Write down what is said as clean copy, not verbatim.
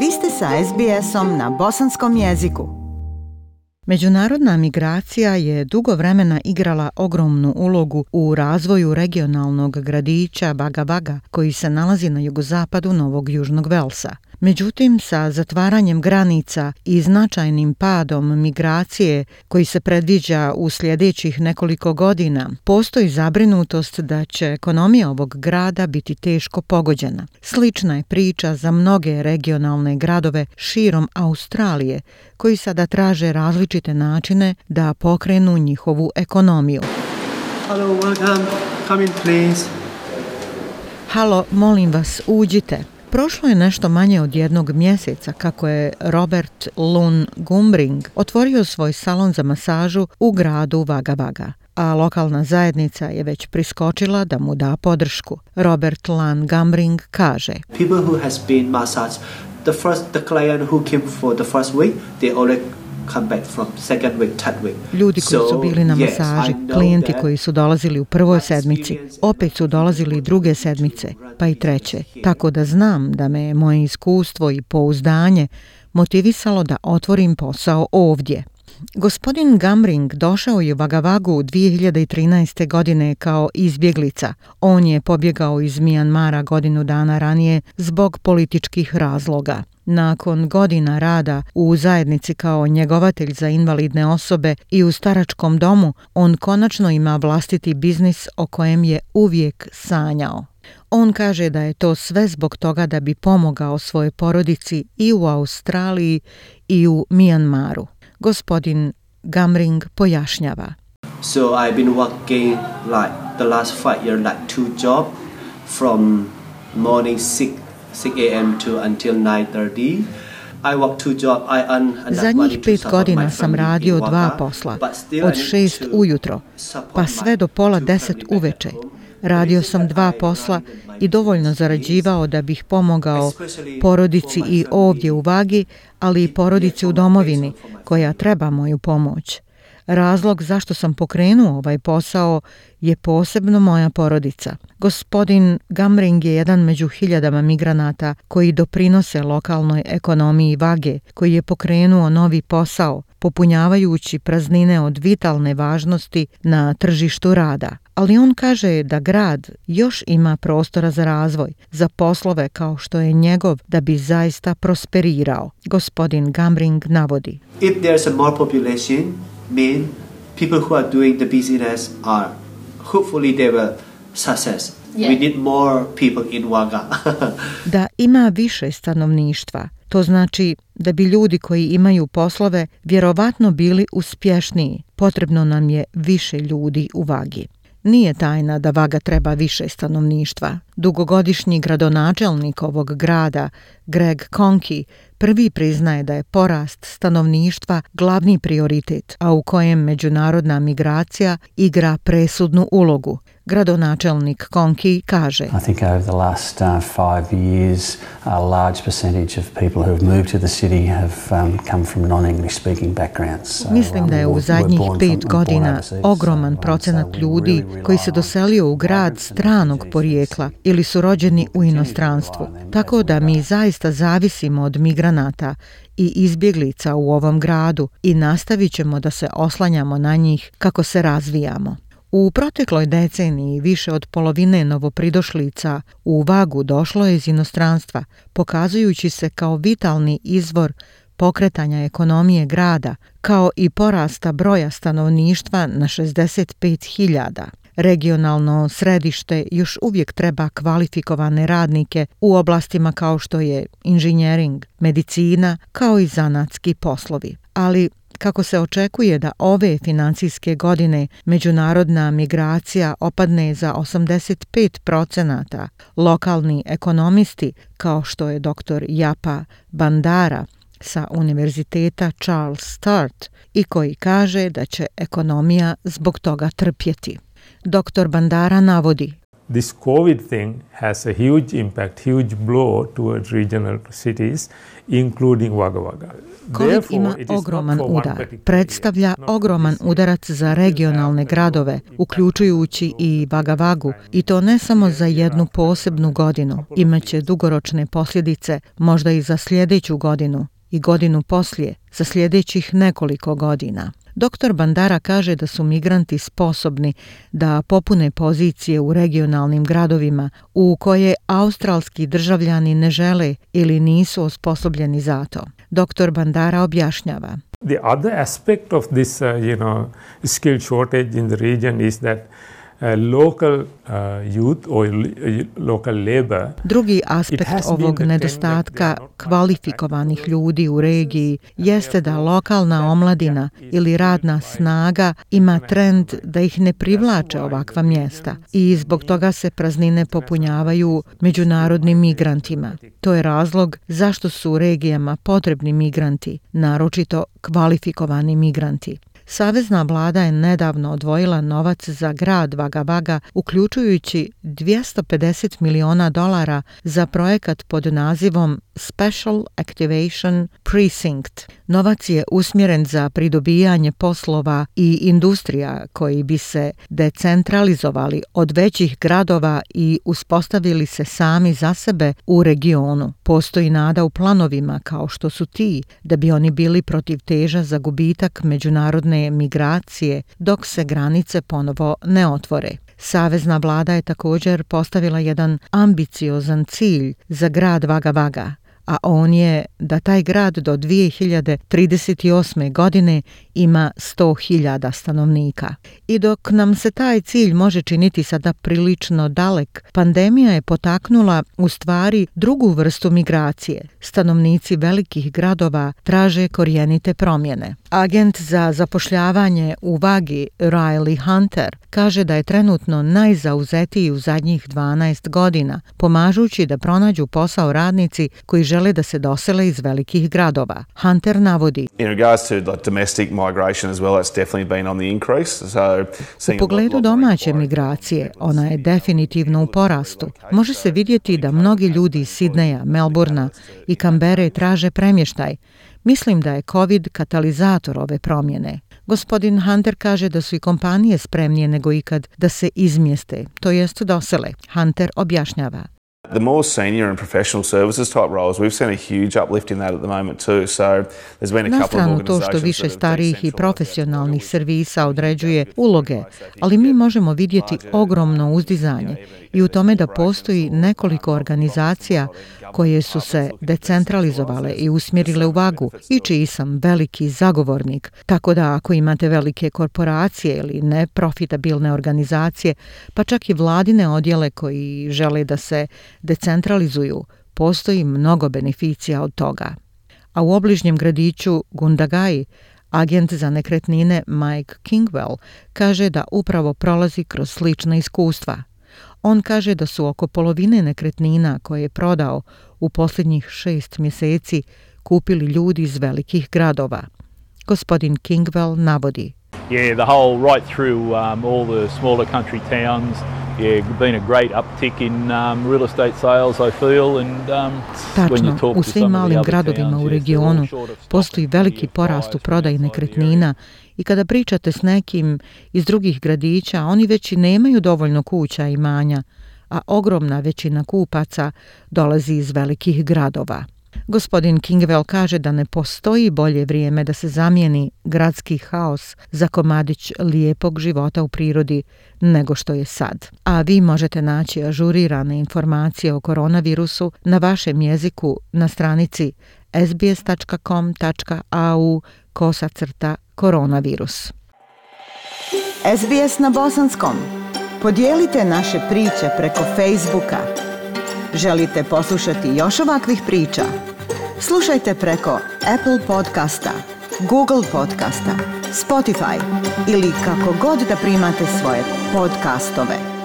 Vi ste sa SBS-om na bosanskom jeziku. Međunarodna migracija je dugo vremena igrala ogromnu ulogu u razvoju regionalnog gradića Wagga Wagga, koji se nalazi na jugozapadu Novog Južnog Velsa. Međutim, sa zatvaranjem granica i značajnim padom migracije koji se predviđa u sljedećih nekoliko godina, postoji zabrinutost da će ekonomija ovog grada biti teško pogođena. Slična je priča za mnoge regionalne gradove širom Australije, koji sada traže različite načine da pokrenu njihovu ekonomiju. Hello, welcome. Come in, please. Halo, molim vas, uđite. Prošlo je nešto manje od jednog mjeseca kako je Robert Lun Gumbring otvorio svoj salon za masažu u gradu Wagga Wagga, a lokalna zajednica je već priskočila da mu da podršku. Robert Lun Gumbring kaže: People who has been massaged, the client who came for the first week, they already come back from second week, third week. Ljudi koji su bili na masaži, klijenti koji su dolazili u prvoj sedmici, opet su dolazili i druge sedmice, pa i treće. Tako da znam da me moje iskustvo i pouzdanje motivisalo da otvorim posao ovdje. Gospodin Gumbring došao je u Wagga Waggu 2013. godine kao izbjeglica. On je pobjegao iz Mijanmara godinu dana ranije zbog političkih razloga. Nakon godina rada u zajednici kao njegovatelj za invalidne osobe i u staračkom domu, on konačno ima vlastiti biznis o kojem je uvijek sanjao. On kaže da je to sve zbog toga da bi pomogao svojoj porodici i u Australiji i u Mijanmaru. Gospodin Gumbring pojašnjava. So I've been working like the last 5 years, like 2 jobs from morning 6 a.m. to until 9:30. I work 2 jobs. I earn Zadnjih 5 godina sam radio 2 posla, od 6 ujutro, pa sve do pola 10 uveče. Radio sam 2 posla i dovoljno zarađivao da bih pomogao porodici i ovdje u Vagi, ali i porodici u domovini koja treba moju pomoć. Razlog zašto sam pokrenuo ovaj posao je posebno moja porodica. Gospodin Gumbring je jedan među hiljadama migranata koji doprinose lokalnoj ekonomiji Vage, koji je pokrenuo novi posao, popunjavajući praznine od vitalne važnosti na tržištu rada. Ali on kaže da grad još ima prostora za razvoj, za poslove kao što je njegov, da bi zaista prosperirao. Gospodin Gumbring navodi: If there's a more population, mean people who are doing the business are hopefully they will success. We need more people in Wagga. Da ima više stanovništva. To znači da bi ljudi koji imaju poslove vjerovatno bili uspješniji. Potrebno nam je više ljudi u Vagi. Nije tajna da Wagga treba više stanovništva. Dugogodišnji gradonačelnik ovog grada, Greg Conkey, prvi priznaje da je porast stanovništva glavni prioritet, a u kojem međunarodna migracija igra presudnu ulogu. Gradonačelnik Conkey kaže: I think over the last 5 years, a large percentage of people who have moved to the city have come from non-English speaking backgrounds. So, Mislim da je u zadnjih 5 godina ogroman procenat ljudi koji se doselio u grad stranog porijekla ili su rođeni u inostranstvu. Tako da mi zaista zavisimo od migranata i izbjeglica u ovom gradu i nastavit ćemo da se oslanjamo na njih kako se razvijamo. U protekloj deceniji više od polovine novopridošlica u Vagu došlo je iz inostranstva, pokazujući se kao vitalni izvor pokretanja ekonomije grada, kao i porasta broja stanovništva na 65.000. Regionalno središte još uvijek treba kvalifikovane radnike u oblastima kao što je inženjering, medicina, kao i zanatski poslovi. Ali kako se očekuje da ove financijske godine međunarodna migracija opadne za 85%, lokalni ekonomisti, kao što je dr. Japa Bandara sa Univerziteta Charles Sturt, i koji kaže da će ekonomija zbog toga trpjeti. Dr. Bandara navodi: this COVID thing has a huge impact, huge blow towards regional cities, including Wagga Wagga. COVID ima ogroman udar, predstavlja ogroman udarac za regionalne gradove, uključujući i Wagga Waggu, i to ne samo za jednu posebnu godinu, imaće dugoročne posljedice možda i za sljedeću godinu i godinu poslije, za sljedećih nekoliko godina. Dr. Bandara kaže da su migranti sposobni da popune pozicije u regionalnim gradovima u koje australski državljani ne žele ili nisu osposobljeni za to. Dr. Bandara objašnjava. The other aspect of this, skill shortage in the region is that local youth or local labor. Drugi aspekt ovog nedostatka kvalifikovanih ljudi u regiji jeste da lokalna omladina ili radna snaga ima trend da ih ne privlače ovakva mjesta i zbog toga se praznine popunjavaju međunarodnim migrantima. To je razlog zašto su u regijama potrebni migranti, naročito kvalifikovani migranti. Savezna vlada je nedavno odvojila novac za grad Wagga Wagga, uključujući $250 miliona za projekat pod nazivom Special Activation Precinct. Novac je usmjeren za pridobijanje poslova i industrija koji bi se decentralizovali od većih gradova i uspostavili se sami za sebe u regionu. Postoji nada u planovima kao što su ti da bi oni bili protiv teža za gubitak međunarodne migracije dok se granice ponovo ne otvore. Savezna vlada je također postavila jedan ambiciozan cilj za grad Wagga Wagga, a on je da taj grad do 2038. godine ima 100.000 stanovnika. I dok nam se taj cilj može činiti sada prilično dalek, pandemija je potaknula u stvari drugu vrstu migracije. Stanovnici velikih gradova traže korijenite promjene. Agent za zapošljavanje u Vagi, Riley Hunter, kaže da je trenutno najzauzetiji u zadnjih 12 godina, pomažući da pronađu posao radnici koji žele da se dosele iz velikih gradova. Hunter navodi: U pogledu domaće migracije, ona je definitivno u porastu. Može se vidjeti da mnogi ljudi iz Sidneja, Melbourna i Kambere traže premještaj. Mislim da je COVID katalizator ove promjene. Gospodin Hunter kaže da su i kompanije spremnije nego ikad da se izmjeste, to jest dosele. Hunter objašnjava. The more senior and professional services type roles, we've seen a huge uplift in that at the moment too. So there's been a couple of organizations. To što više starijih i profesionalnih servisa određuje uloge, ali mi možemo vidjeti ogromno uzdizanje i u tome da postoji nekoliko organizacija koje su se decentralizovale i usmjerile u Vagu i čiji sam veliki zagovornik. Tako da ako imate velike korporacije ili neprofitabilne organizacije, pa čak i vladine odjele koji žele da se decentralizuju, postoji mnogo beneficija od toga. A u obližnjem gradiću Gundagai, agent za nekretnine Mike Kingwell kaže da upravo prolazi kroz slična iskustva. On kaže da su oko polovine nekretnina koje je prodao u posljednjih 6 mjeseci kupili ljudi iz velikih gradova. Gospodin Kingwell navodi: Yeah, the whole right through all the smaller country towns. Been a great uptick in real estate sales, I feel, and tačno, u svim malim gradovima u regionu postoji veliki porast u prodaji nekretnina i kada pričate s nekim iz drugih gradića, oni već i nemaju dovoljno kuća i imanja, a ogromna većina kupaca dolazi iz velikih gradova. Gospodin Kingwell kaže da ne postoji bolje vrijeme da se zamijeni gradski haos za komadić lijepog života u prirodi nego što je sad. A vi možete naći ažurirane informacije o koronavirusu na vašem jeziku na stranici sbs.com.au/koronavirus. SBS na bosanskom. Podijelite naše priče preko Facebooka. Želite poslušati još ovakvih priča? Slušajte preko Apple podcasta, Google podcasta, Spotify ili kako god da primate svoje podcastove.